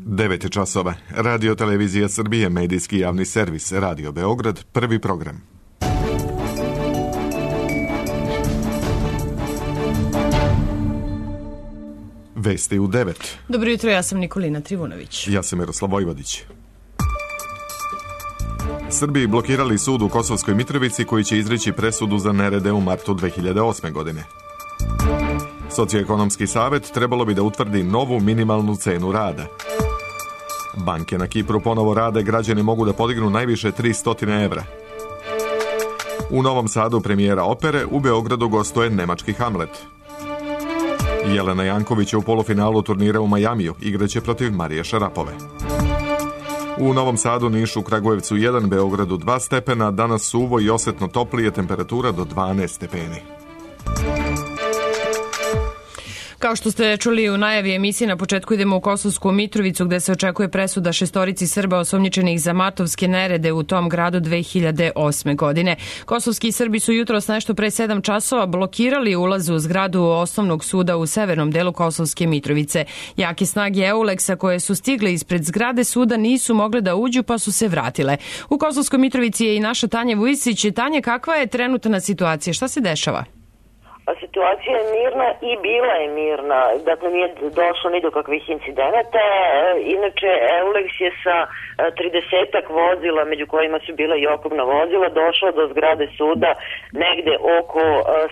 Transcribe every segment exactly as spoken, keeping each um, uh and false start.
devet časova. Radio Televizija Srbije, medijski javni servis, Radio Beograd, prvi program. Vesti u devet. Dobro jutro, ja sam Nikolina Trivunović. Ja sam Miroslav Vojvodić. Srbiji blokirali sud u Kosovskoj Mitrovici koji će izreći presudu za nerede u martu dve hiljade osme. godine. Socioekonomski savet trebalo bi da utvrdi novu minimalnu cenu rada. Banke na Kipru ponovo rade, građani mogu da podignu najviše tristo evra. U Novom Sadu premijera opere, u Beogradu gostuje nemački Hamlet. Jelena Janković je u polufinalu turnira u Majamiju, igraće protiv Marije Šarapove. U Novom Sadu, Nišu, Kragujevcu jedan, Beogradu dva stepena, danas suvo i osetno toplije, temperatura do dvanaest stepeni. Kao što ste čuli u najavi emisije, na početku idemo u Kosovsku Mitrovicu gde se očekuje presuda šestorici Srba osumnjičenih za matovske nerede u tom gradu dve hiljade osme. godine. Kosovski Srbi su jutros nešto pre sedam časova blokirali ulaz u zgradu osnovnog suda u severnom delu Kosovske Mitrovice. Jake snage Euleksa koje su stigle ispred zgrade suda nisu mogle da uđu pa su se vratile. U Kosovskoj Mitrovici je i naša Tanja Vujisić. Tanja, kakva je trenutna situacija? Šta se dešava? Situacija je mirna i bila je mirna, dakle nije došlo ni do kakvih incidenata. Inače, Euleks je sa tridesetak vozila, među kojima su bila i oklopna vozila, došla do zgrade suda negde oko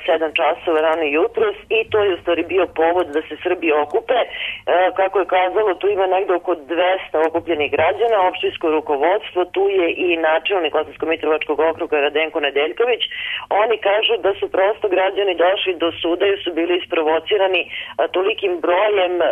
sedam časova rano jutros i to je u stvari bio povod da se Srbi okupe. Kako je kazalo, tu ima negde oko dvesta okupljenih građana, opštinsko rukovodstvo, tu je i načelnik Kosovsko-Mitrovačkog okruga Radenko Nedeljković. Oni kažu da su prosto građani došli do suda jer su bili isprovocirani a, tolikim brojem a,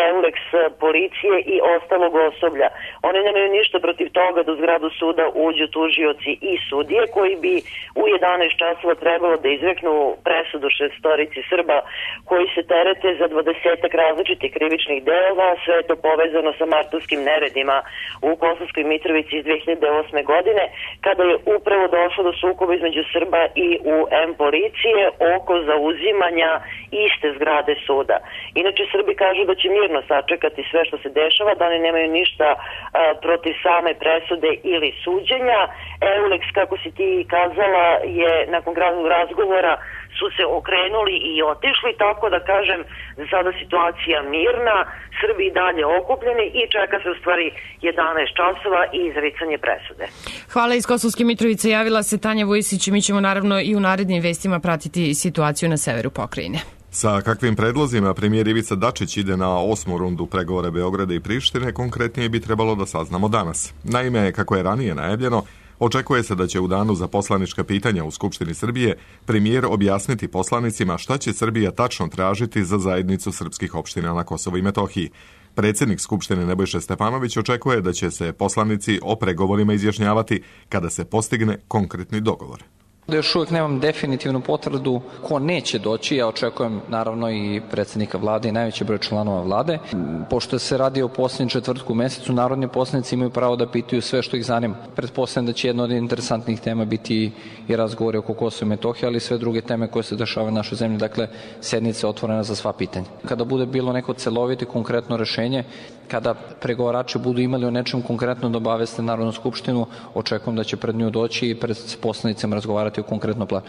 Euleks policije i ostalog osoblja. Oni nemaju ništa protiv toga da u zgradu suda uđu tužioci i sudije koji bi u jedanaest časova trebalo da izreknu presudu šestorici Srba koji se terete za dvadesetak različitih krivičnih dela, sve je to povezano sa martovskim neredima u Kosovskoj Mitrovici iz dve hiljade osme. godine, kada je upravo došlo do sukoba između Srba i U M policije oko zauzimanja iste zgrade suda. Inače, Srbi kažu da će mirno sačekati sve što se dešava, da oni nemaju ništa a, protiv same presude ili suđenja. Euleks, kako si ti kazala, je nakon gradnog razgovora su se okrenuli i otišli, tako da kažem, za sada situacija mirna, Srbi i dalje okupljeni i čeka se u stvari jedanaest časova i izricanje presude. Hvala. Iz Kosovske Mitrovice javila se Tanja Vujisić i mi ćemo naravno i u narednim vestima pratiti situaciju na severu pokrajine. Sa kakvim predlozima premijer Ivica Dačić ide na osmu rundu pregovora Beograda i Prištine, konkretnije bi trebalo da saznamo danas. Naime, kako je ranije najavljeno, očekuje se da će u danu za poslanička pitanja u Skupštini Srbije premijer objasniti poslanicima šta će Srbija tačno tražiti za zajednicu srpskih opština na Kosovu i Metohiji. Predsjednik Skupštine Nebojša Stefanović očekuje da će se poslanici o pregovorima izjašnjavati kada se postigne konkretni dogovor. Da još uvijek nemam definitivnu potvrdu ko neće doći, ja očekujem naravno i predsjednika vlade i najveći broj članova vlade. Pošto se radi o posljednjem četvrtku u mesecu, narodni poslanici imaju pravo da pitaju sve što ih zanima. Pretpostavljam da će jedna od interesantnih tema biti i razgovori oko Kosova i Metohije, ali i sve druge teme koje se dešavaju u našoj zemlji, dakle sednica je otvorena za sva pitanja. Kada bude bilo neko celovito i konkretno rešenje, kada pregovarači budu imali o nečem konkretno da obaveste Narodnu skupštinu, očekujem da će pred nju doći i pred poslanicima razgovarati o konkretnom planu.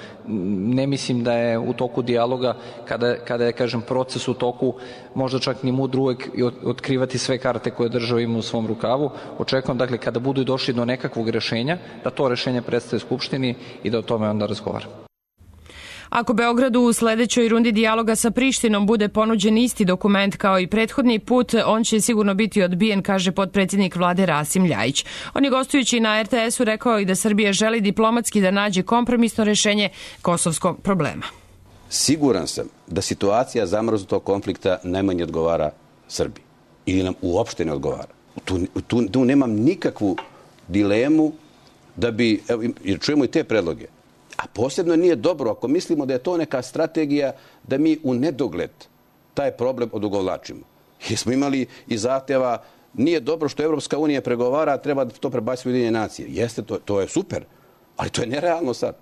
Ne mislim da je u toku dijaloga, kada, kada je, kažem, proces u toku, možda čak ni mudro uvek otkrivati sve karte koje država ima u svom rukavu. Očekujem, dakle, kada budu došli do nekakvog rešenja, da to rešenje predstavi Skupštini i da o tome onda razgovara. Ako Beogradu u sledećoj rundi dijaloga sa Prištinom bude ponuđen isti dokument kao i prethodni put, on će sigurno biti odbijen, kaže potpredsjednik vlade Rasim Ljajić. On je gostujući na er te esu rekao i da Srbija želi diplomatski da nađe kompromisno rešenje kosovskog problema. Siguran sam da situacija zamrznutog konflikta najmanje odgovara Srbiji ili nam uopšte ne odgovara. Tu, tu, tu nemam nikakvu dilemu da bi, evo, jer čujemo i te predloge. A posebno nije dobro ako mislimo da je to neka strategija da mi u nedogled taj problem odugovlačimo. Jer smo imali i zahtjeva, nije dobro što Evropska unija pregovara, treba da to prebaciti u Ujedinjene nacije. Jeste, to, to je super, ali to je nerealno sad.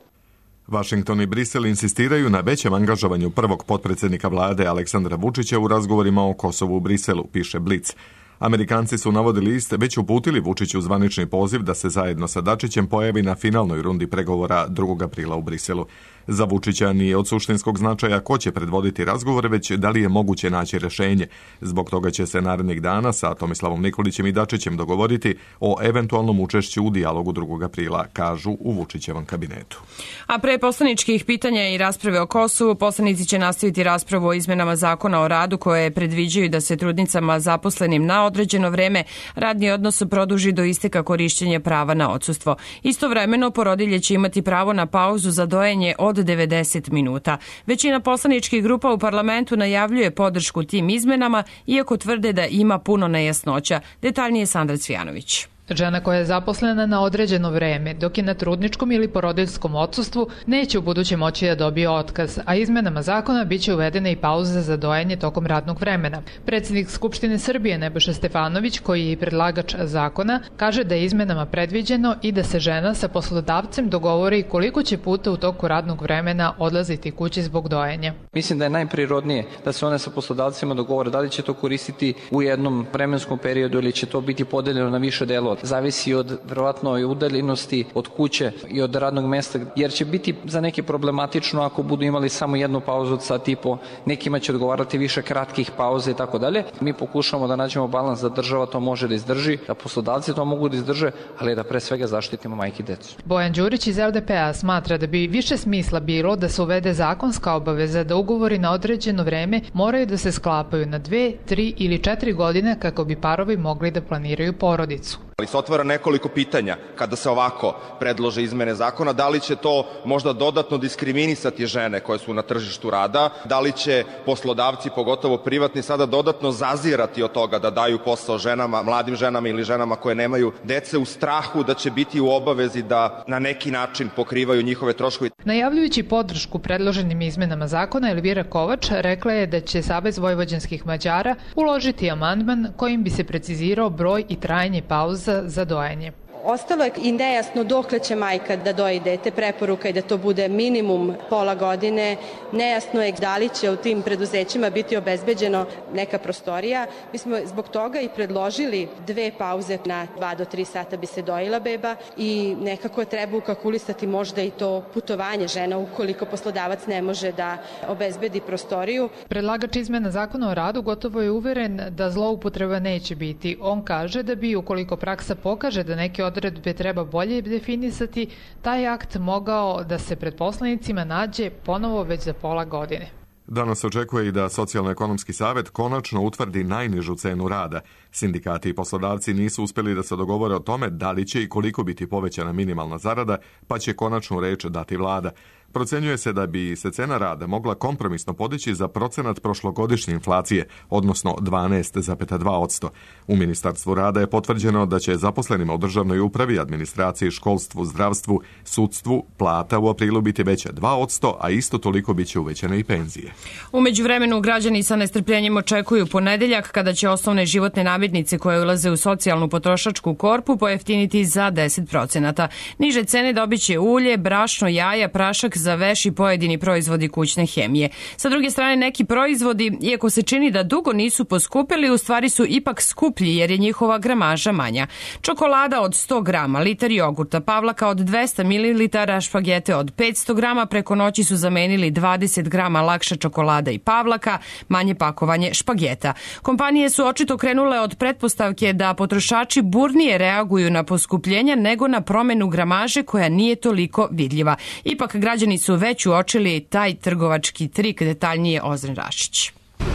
Vašington i Brisel insistiraju na većem angažovanju prvog potpredsjednika vlade Aleksandra Vučića u razgovorima o Kosovu u Briselu, piše Blic. Amerikanci su, navodi list, već uputili Vučiću zvanični poziv da se zajedno sa Dačićem pojavi na finalnoj rundi pregovora drugog aprila u Briselu. Za Vučića nije od suštinskog značaja ko će predvoditi razgovore, već da li je moguće naći rešenje. Zbog toga će se narednih dana sa Tomislavom Nikolićem i Dačićem dogovoriti o eventualnom učešću u dijalogu drugog aprila, kažu u Vučićevom kabinetu. A pre poslaničkih pitanja i rasprave o Kosovu, poslanici će nastaviti raspravu o izmenama zakona o radu koje predviđaju da se trudnicama zaposlenim na određeno vreme radni odnos produži do isteka korišćenja prava na odsustvo. Istovremeno, porodilje će imati pravo na pauzu za dojenje od devedeset minuta. Većina poslaničkih grupa u parlamentu najavljuje podršku tim izmenama, iako tvrde da ima puno nejasnoća. Detaljnije Sandra Cvijanović. Žena koja je zaposlena na određeno vreme, dok je na trudničkom ili porodiljskom odsustvu, neće u buduće moći da dobije otkaz, a izmenama zakona biće uvedena i pauza za dojenje tokom radnog vremena. Predsjednik Skupštine Srbije Nebojša Stefanović, koji je i predlagač zakona, kaže da je izmenama predviđeno i da se žena sa poslodavcem dogovori koliko će puta u toku radnog vremena odlaziti kući zbog dojenja. Mislim da je najprirodnije da se one sa poslodavcima dogovore da li će to koristiti u jednom vremenskom periodu ili će to biti podeljeno na više delova. Zavisi od verovatno i udaljenosti od kuće i od radnog mesta, jer će biti za neke problematično ako budu imali samo jednu pauzu od sat i po, nekima će odgovarati više kratkih pauza i tako dalje. Mi pokušamo da nađemo balans da država to može da izdrži, da poslodavci to mogu da izdrže, ali da pre svega zaštitimo majke i decu. Bojan Đurić iz L D P A smatra da bi više smisla bilo da se uvede zakonska obaveza da ugovori na određeno vreme moraju da se sklapaju na dve, tri ili četiri godine kako bi parovi mogli da planiraju porodicu. Ali se otvara nekoliko pitanja kada se ovako predlože izmene zakona, da li će to možda dodatno diskriminisati žene koje su na tržištu rada, da li će poslodavci, pogotovo privatni, sada dodatno zazirati od toga da daju posao ženama, mladim ženama ili ženama koje nemaju dece u strahu da će biti u obavezi da na neki način pokrivaju njihove troškove. Najavljujući podršku predloženim izmenama zakona, Elvira Kovač rekla je da će Savez vojvođanskih Mađara uložiti amandman kojim bi se precizirao broj i trajanje pauza za dojenje. Ostalo je i nejasno dokle će majka da doji dete, preporuka je da to bude minimum pola godine, nejasno je da li će u tim preduzećima biti obezbeđeno neka prostorija. Mi smo zbog toga i predložili dve pauze na dva do tri sata bi se dojila beba i nekako treba ukalkulisati možda i to putovanje žena ukoliko poslodavac ne može da obezbedi prostoriju. Predlagač izmena zakona o radu gotovo je uveren da zloupotreba neće biti. On kaže da bi ukoliko praksa pokaže da neke odredbe treba bolje definisati, taj akt mogao da se pred poslanicima nađe ponovo već za pola godine. Danas se očekuje i da Socijalno-ekonomski savet konačno utvrdi najnižu cenu rada. Sindikati i poslodavci nisu uspeli da se dogovore o tome da li će i koliko biti povećana minimalna zarada, pa će konačnu reč dati vlada. Procenjuje se da bi se cena rada mogla kompromisno podići za procenat prošlogodišnje inflacije, odnosno dvanaest zarez dva posto. U Ministarstvu rada je potvrđeno da će zaposlenima u državnoj upravi, administraciji, školstvu, zdravstvu, sudstvu plata u aprilu biti veća dva posto, a isto toliko biće uvećane i penzije. U međuvremenu građani sa nestrpljenjem očekuju ponedeljak kada će osnovne životne namirnice koje ulaze u socijalnu potrošačku korpu pojeftiniti za deset procenata. Niže cene dobiće ulje, brašno, jaja, prašak za veš i pojedini proizvodi kućne hemije. Sa druge strane, neki proizvodi, iako se čini da dugo nisu poskupili, u stvari su ipak skuplji jer je njihova gramaža manja. Čokolada od sto grama, litar jogurta, pavlaka od dvesta mililitara, špagete od petsto grama, preko noći su zamenili dvadeset grama lakša čokolada i pavlaka, manje pakovanje špageta. Kompanije su očito krenule od pretpostavke da potrošači burnije reaguju na poskupljenja nego na promenu gramaže koja nije toliko vidljiva. Ipak građani su već uočili taj trgovački trik, detaljnije Ozren Rašić.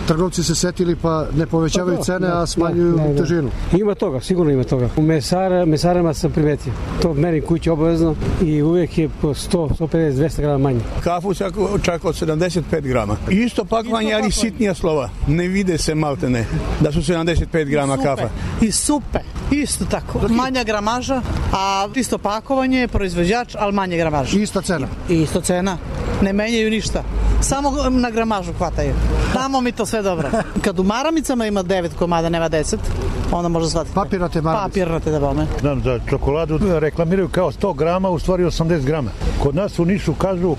Trgovci se setili pa ne povećavaju cene, a smanjuju ne, ne, težinu. Ima toga, sigurno ima toga. U mesara, mesarama sam primetio. To merim kući obavezno i uvijek je po sto, sto pedeset, dvesta grama manje. Kafu čak od sedamdeset pet grama. Isto pakovanje, ali sitnija slova. Ne vide se maltene da su sedamdeset pet grama I supe, kafa. I supe, isto tako. Manja gramaža, a isto pakovanje, proizvođač, ali manje gramaža. Ista cena. I isto cena. Ne menjaju ništa. Samo na gramažu hvataju. Tamo mi to sve dobro. Kad u maramicama ima devet komada, nema deset, onda može shvatiti. Papirnate maramice. Papirnate da bome. Znam, za čokoladu reklamiraju kao sto grama, u stvari osamdeset grama. Kod nas u Nišu kažu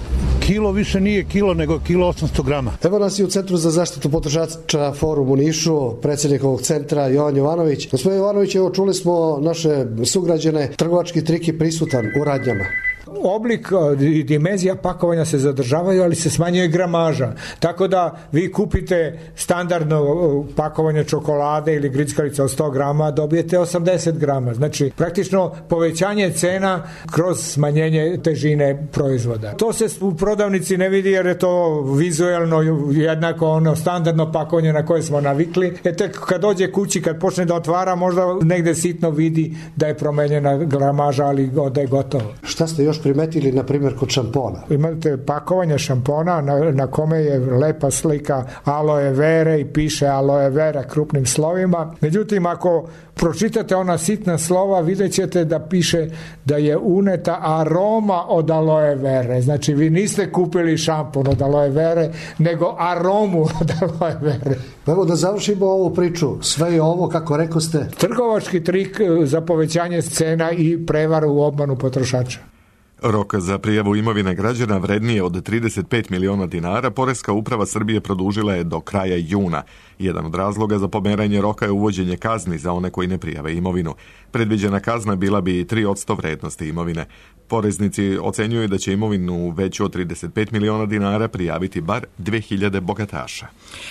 Kilo više nije kilo, nego kilo osamsto grama. Evo nas i u Centru za zaštitu potrošača Forum u Nišu, predsjednik ovog centra Jovan Jovanović. Gospodin Jovanović, evo čuli smo naše sugrađane, trgovački trik je prisutan u radnjama. Oblik i dimenzija pakovanja se zadržavaju, ali se smanjuje gramaža. Tako da vi kupite standardno pakovanje čokolade ili grickalica od sto grama, dobijete osamdeset grama. Znači, praktično povećanje cena kroz smanjenje težine proizvoda. To se u prodavnici ne vidi jer je to vizuelno jednako ono standardno pakovanje na koje smo navikli. E tek kad dođe kući, kad počne da otvara, možda negde sitno vidi da je promenjena gramaža, ali da je gotovo. Šta ste još primetili, na primjer, kod šampona? Imate pakovanje šampona na, na kome je lepa slika aloe vere i piše aloe vera krupnim slovima. Međutim, ako pročitate ona sitna slova, vidjet ćete da piše da je uneta aroma od aloe vere. Znači, vi niste kupili šampon od aloe vere, nego aromu od aloe vere. Evo da završimo ovu priču. Sve je ovo, kako rekao ste, trgovački trik za povećanje cena i prevaru u obmanu potrošača. Rok za prijavu imovine građana vrednije od trideset pet miliona dinara Poreska uprava Srbije produžila je do kraja juna. Jedan od razloga za pomeranje roka je uvođenje kazni za one koji ne prijave imovinu. Predviđena kazna bila bi tri posto vrednosti imovine. Poreznici ocenjuju da će imovinu veću od trideset pet miliona dinara prijaviti bar dve hiljade bogataša.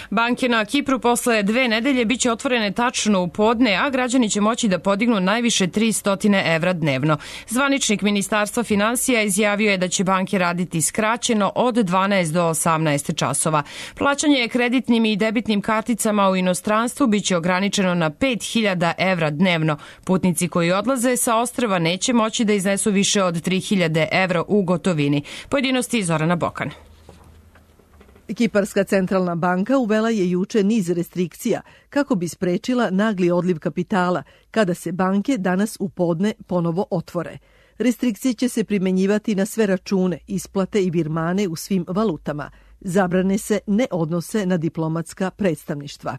Banke na Kipru posle dve nedelje biće otvorene tačno u podne, a građani će moći da podignu najviše tristo evra dnevno. Zvaničnik Ministarstva finansija izjavio je da će banke raditi skraćeno od dvanaest do osamnaest časova. Plaćanje kreditnim i debitnim karticama u inostranstvu biće ograničeno na pet hiljada evra dnevno. Putnici koji odlaze sa ostrva neće moći da iznesu više od tri hiljade evra u gotovini. Pojedinosti Zorana Bokan. Kiparska centralna banka uvela je juče niz restrikcija kako bi sprečila nagli odliv kapitala kada se banke danas u podne ponovo otvore. Restrikcije će se primenjivati na sve račune, isplate i virmane u svim valutama. Zabrane se ne odnose na diplomatska predstavništva.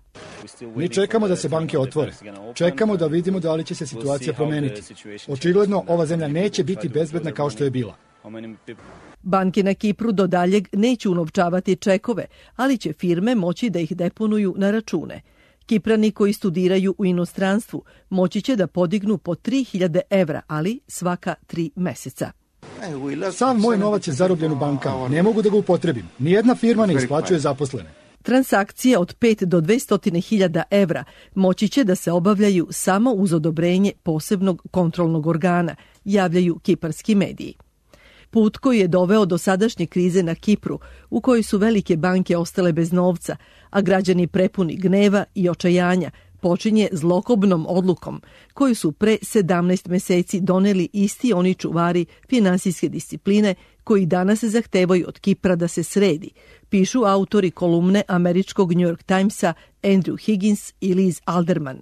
Mi čekamo da se banke otvore. Čekamo da vidimo da li će se situacija promeniti. Očigledno ova zemlja neće biti bezbedna kao što je bila. Banke na Kipru do daljeg neće unovčavati čekove, ali će firme moći da ih deponuju na račune. Kiprani koji studiraju u inostranstvu moći će da podignu po tri hiljade evra, ali svaka tri meseca. Sav moj novac je zarobljen u bankama. Ne mogu da ga upotrebim. Nijedna firma ne isplaćuje zaposlene. Transakcije od pet do dvesta hiljada evra moći će da se obavljaju samo uz odobrenje posebnog kontrolnog organa, javljaju kiparski mediji. Put koji je doveo do sadašnje krize na Kipru, u kojoj su velike banke ostale bez novca, a građani prepuni gneva i očajanja, počinje zlokobnom odlukom koju su pre sedamnaest meseci doneli isti oni čuvari finansijske discipline koji danas zahtevaju od Kipra da se sredi, pišu autori kolumne američkog New York Timesa Andrew Higgins i Liz Alderman.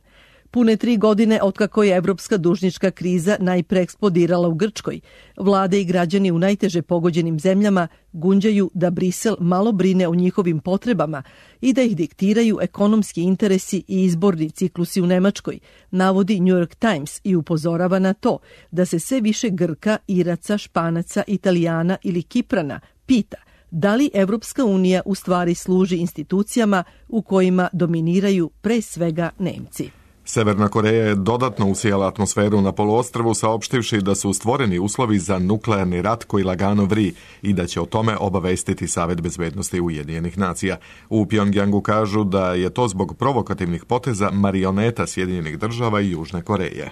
Pune tri godine otkako je evropska dužnička kriza najpre eksplodirala u Grčkoj, vlade i građani u najteže pogođenim zemljama gunđaju da Brisel malo brine o njihovim potrebama i da ih diktiraju ekonomski interesi i izborni ciklusi u Nemačkoj, navodi New York Times i upozorava na to da se sve više Grka, Iraca, Španaca, Italijana ili Kiprana pita da li Evropska unija u stvari služi institucijama u kojima dominiraju pre svega Nemci. Severna Koreja je dodatno usijala atmosferu na poluostrvu saopštivši da su stvoreni uslovi za nuklearni rat koji lagano vri i da će o tome obavestiti Savet bezbednosti Ujedinjenih nacija. U Pjongjangu kažu da je to zbog provokativnih poteza marioneta Sjedinjenih država i Južne Koreje.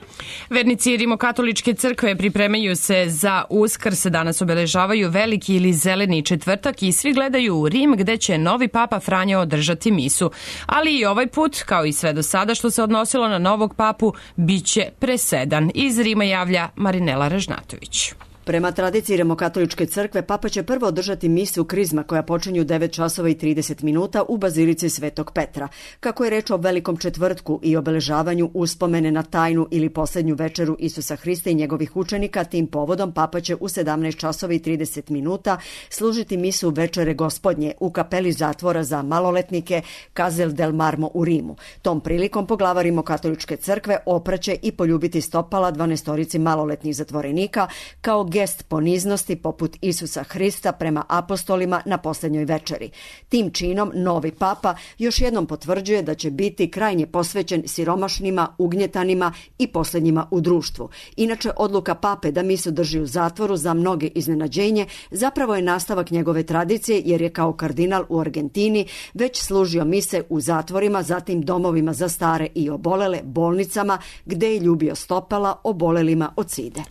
Vernici Rimokatoličke crkve pripremaju se za Uskrs, danas obeležavaju veliki ili zeleni četvrtak i svi gledaju u Rim gde će novi papa Franjo održati misu. Ali i ovaj put, kao i sve do sada što se odnosilo na novog papu, biće presedan. Iz Rima javlja Marinela Ražnatović. Prema tradiciji Rimokatoličke crkve, papa će prvo održati misu krizma koja počinje u devet časova i trideset minuta u bazilici Svetog Petra. Kako je reč o velikom četvrtku i obeležavanju uspomene na tajnu ili poslednju večeru Isusa Hrista i njegovih učenika, tim povodom papa će u sedamnaest časova i trideset minuta služiti misu Večere Gospodnje u kapeli zatvora za maloletnike Castel del Marmo u Rimu. Tom prilikom poglavar Rimokatoličke crkve opraće i poljubiti stopala dvanaestorici maloletnih zatvorenika kao gest poniznosti poput Isusa Hrista prema apostolima na posljednjoj večeri. Tim činom novi papa još jednom potvrđuje da će biti krajnje posvećen siromašnima, ugnjetanima i posljednjima u društvu. Inače, odluka pape da misu drži u zatvoru za mnoge iznenađenje zapravo je nastavak njegove tradicije, jer je kao kardinal u Argentini već služio mise u zatvorima, zatim domovima za stare i obolele, bolnicama, gde je ljubio stopala obolelima od side.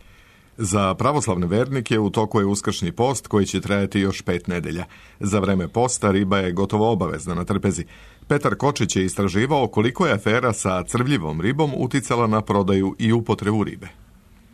Za pravoslavne vernike u toku je uskršnji post koji će trajati još pet nedelja. Za vreme posta riba je gotovo obavezna na trpezi. Petar Kočić je istraživao koliko je afera sa crvljivom ribom uticala na prodaju i upotrebu ribe.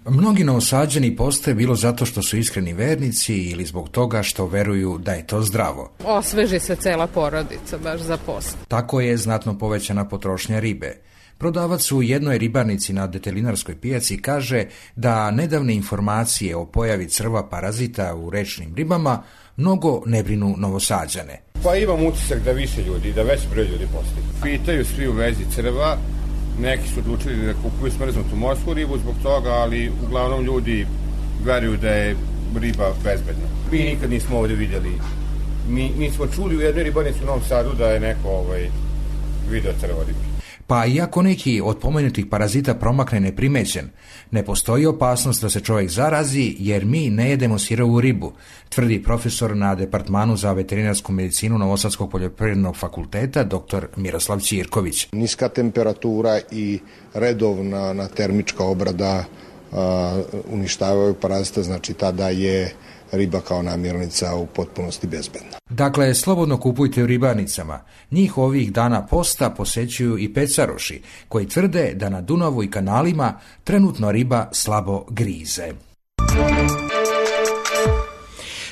Mnogi Novosađani poste bilo zato što su iskreni vernici ili zbog toga što veruju da je to zdravo. Osveži se cela porodica baš za post. Tako je znatno povećana potrošnja ribe. Prodavac u jednoj ribarnici na detelinarskoj pijaci kaže da nedavne informacije o pojavi crva parazita u rečnim ribama mnogo ne brinu Novosađane. Pa imam utisak da više ljudi, da veći broj ljudi postoji. Pitaju svi u vezi crva, neki su odlučili da kupuju smrznutu morsku ribu zbog toga, ali uglavnom ljudi veruju da je riba bezbedna. Mi nikad nismo ovdje vidjeli, mi, mi smo čuli u jednoj ribarnici u Novom Sadu da je neko ovaj, video crva ribi. Pa iako neki od pomenutih parazita promakne neprimećen, ne postoji opasnost da se čovjek zarazi jer mi ne jedemo sirovu ribu, tvrdi profesor na Departmanu za veterinarsku medicinu Novosadskog poljoprivrednog fakulteta dr. Miroslav Ćirković. Niska temperatura i redovna na termička obrada a, uništavaju parazita, znači tada je riba kao namirnica u potpunosti bezbedna. Dakle, slobodno kupujte u ribarnicama. Njih ovih dana posta posećuju i pecaroši, koji tvrde da na Dunavu i kanalima trenutno riba slabo grize.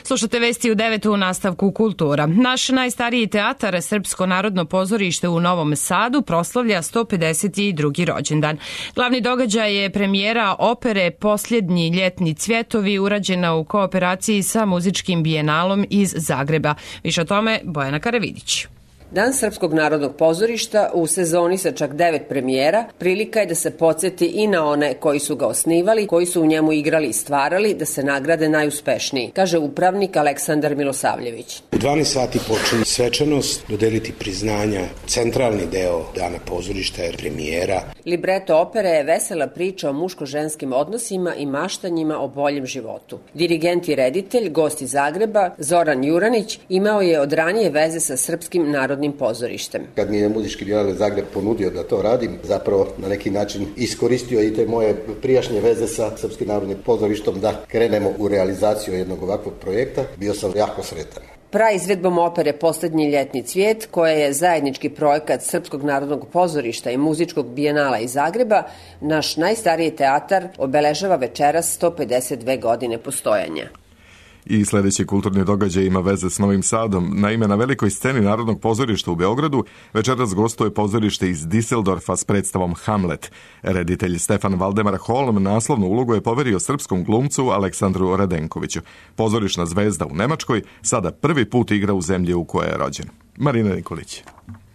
Slušate vesti u devetu u nastavku kultura. Naš najstariji teatar, Srpsko narodno pozorište u Novom Sadu, proslavlja sto pedeset drugi rođendan. Glavni događaj je premijera opere Posljednji ljetni cvjetovi, urađena u kooperaciji sa muzičkim bijenalom iz Zagreba. Više o tome Bojana Karavidić. Dan Srpskog narodnog pozorišta u sezoni sa čak devet premijera prilika je da se podsjeti i na one koji su ga osnivali, koji su u njemu igrali i stvarali, da se nagrade najuspešniji, kaže upravnik Aleksandar Milosavljević. U dvanaest sati počinje svečanost, dodeliti priznanja. Centralni deo dana pozorišta je premijera. Libreto opere je vesela priča o muško-ženskim odnosima i maštanjima o boljem životu. Dirigent i reditelj, gost iz Zagreba, Zoran Juranić, imao je od ranije veze sa Srpskim narodnim pozorištem. Kad mi je muzički bijenal Zagreb ponudio da to radim, zapravo na neki način iskoristio i te moje prijašnje veze sa Srpskim narodnim pozorištom da krenemo u realizaciju jednog ovakvog projekta. Bio sam jako sretan. Praizvedbom opere Posljednji ljetni cvijet, koja je zajednički projekat Srpskog narodnog pozorišta i muzičkog bijenala iz Zagreba, naš najstariji teatar obeležava večeras sto pedeset dve godine postojanja. I sljedeći kulturni događaj ima veze s Novim Sadom. Naime, na velikoj sceni Narodnog pozorišta u Beogradu večeras gostuje pozorište iz Düsseldorfa s predstavom Hamlet. Reditelj Stefan Valdemar Holm naslovnu ulogu je poverio srpskom glumcu Aleksandru Radenkoviću. Pozorišna zvezda u Nemačkoj sada prvi put igra u zemlji u kojoj je rođen. Marina Nikolić.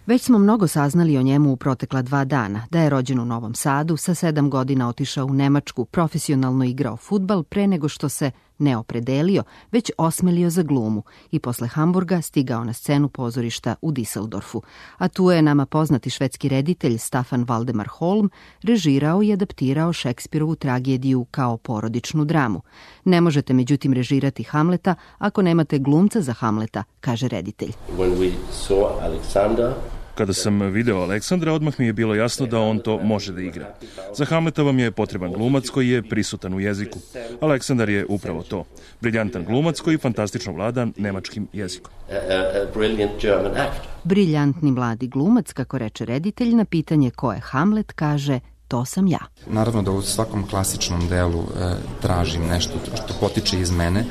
Već smo mnogo saznali o njemu u protekla dva dana. Da je rođen u Novom Sadu, sa sedam godina otišao u Nemačku, profesionalno igrao fudbal pre nego što se ne opredelio, već osmelio za glumu i posle Hamburga stigao na scenu pozorišta u Düsseldorfu. A tu je nama poznati švedski reditelj Staffan Valdemar Holm režirao i adaptirao Šekspirovu tragediju kao porodičnu dramu. Ne možete međutim režirati Hamleta ako nemate glumca za Hamleta, kaže reditelj. When we saw Alexander, Kada sam video Aleksandra, odmah mi je bilo jasno da on to može da igra. Za Hamleta vam je potreban glumac koji je prisutan u jeziku. Aleksandar je upravo to. Briljantan glumac koji fantastično vlada nemačkim jezikom. Briljantni mladi glumac, kako reče reditelj, na pitanje ko je Hamlet, kaže: to sam ja. Naravno da u svakom klasičnom delu e, tražim nešto što potiče iz mene.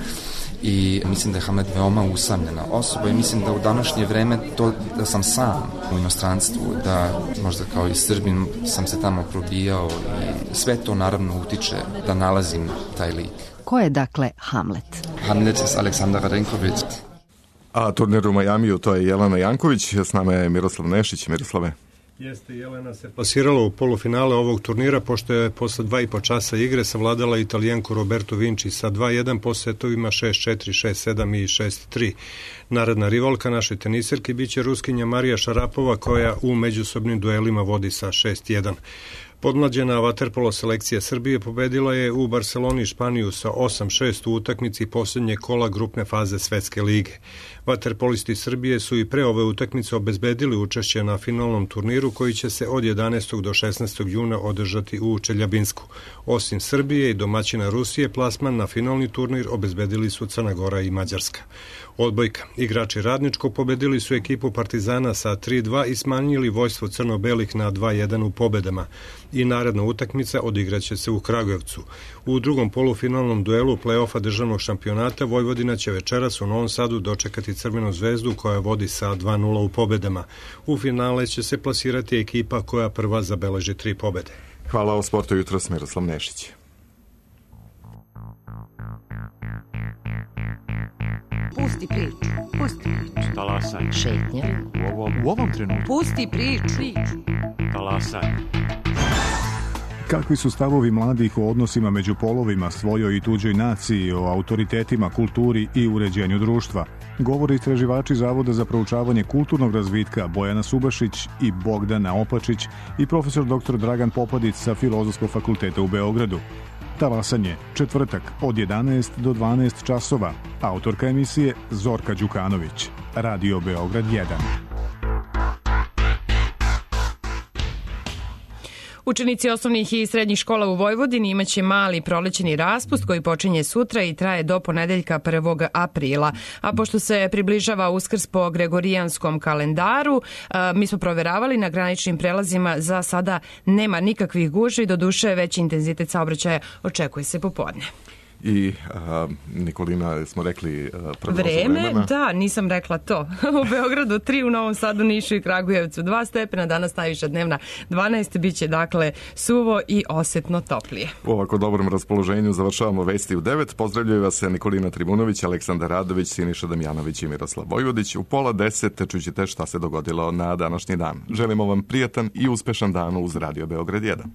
I mislim da je Hamlet veoma usamljena osoba i mislim da u današnje vreme to da sam sam u inostranstvu, da možda kao i Srbin sam se tamo probijao i sve to naravno utiče da nalazim taj lik. Ko je dakle Hamlet? Hamlet je Aleksandar Radenković. A turnir u Majamiju, to je Jelena Janković, s nama je Miroslav Nešić. Miroslave. Jeste, Jelena se plasirala u polufinale ovog turnira, pošto je posle dva i po časa igre savladala Italijanku Robertu Vinci sa dva jedan po setovima šest četiri, šest sedam i šest tri. Naredna rivalka našoj teniserki biće Ruskinja Marija Šarapova, koja u međusobnim duelima vodi sa šest jedan. Podmlađena vaterpolo selekcija Srbije pobedila je u Barceloni Španiju sa osam šest u utakmici posljednje kola grupne faze Svetske lige. Vaterpolisti Srbije su i pre ove utakmice obezbedili učešće na finalnom turniru koji će se od jedanaestog do šesnaestog juna održati u Čeljabinsku. Osim Srbije i domaćina Rusije, plasman na finalni turnir obezbedili su Crna Gora i Mađarska. Odbojka. Igrači Radničkog pobedili su ekipu Partizana sa tri dva i smanjili vojstvo crno-belih na dva jedan u pobedama. I naredna utakmica odigraće se u Kragujevcu. U drugom polufinalnom duelu play-offa državnog šampionata Vojvodina će večeras u Novom Sadu dočekati Crvenu zvezdu koja vodi sa dva nula u pobedama. U finale će se plasirati ekipa koja prva zabeleži tri pobede. Hvala o sportu jutros, Miroslav Nešić. Pusti priču, pusti priču. Talasaj. Šetnja. U ovom, u ovom trenutku. Pusti priču. Talasaj. Kakvi su stavovi mladih o odnosima među polovima, svojoj i tuđoj naciji, o autoritetima, kulturi i uređenju društva? Govore istraživači Zavoda za proučavanje kulturnog razvitka Bojana Subašić i Bogdana Opačić i profesor doktor Dragan Popadić sa Filozofskog fakulteta u Beogradu. Talasanje, četvrtak, od jedanaest do dvanaest časova. Autorka emisije Zorka Đukanović. Radio Beograd jedan. Učenici osnovnih i srednjih škola u Vojvodini imaće mali prolećeni raspust koji počinje sutra i traje do ponedeljka prvog aprila. A pošto se približava Uskrs po gregorijanskom kalendaru, mi smo proveravali na graničnim prelazima, za sada nema nikakvih gužvi, doduše veći intenzitet saobraćaja očekuje se popodne. I a, Nikolina, smo rekli vreme, da, nisam rekla to. U Beogradu tri, u Novom Sadu, Nišu i Kragujevcu dva stepena, danas najviša dnevna dvanaest, bit će dakle suvo i osetno toplije. U ovako dobrom raspoloženju završavamo vesti u devet. Pozdravljaju vas Nikolina Tribunović, Aleksandar Radović, Siniša Damjanović i Miroslav Vojvodić. U pola deset čućete šta se dogodilo na današnji dan. Želimo vam prijatan i uspešan dan uz Radio Beograd jedan.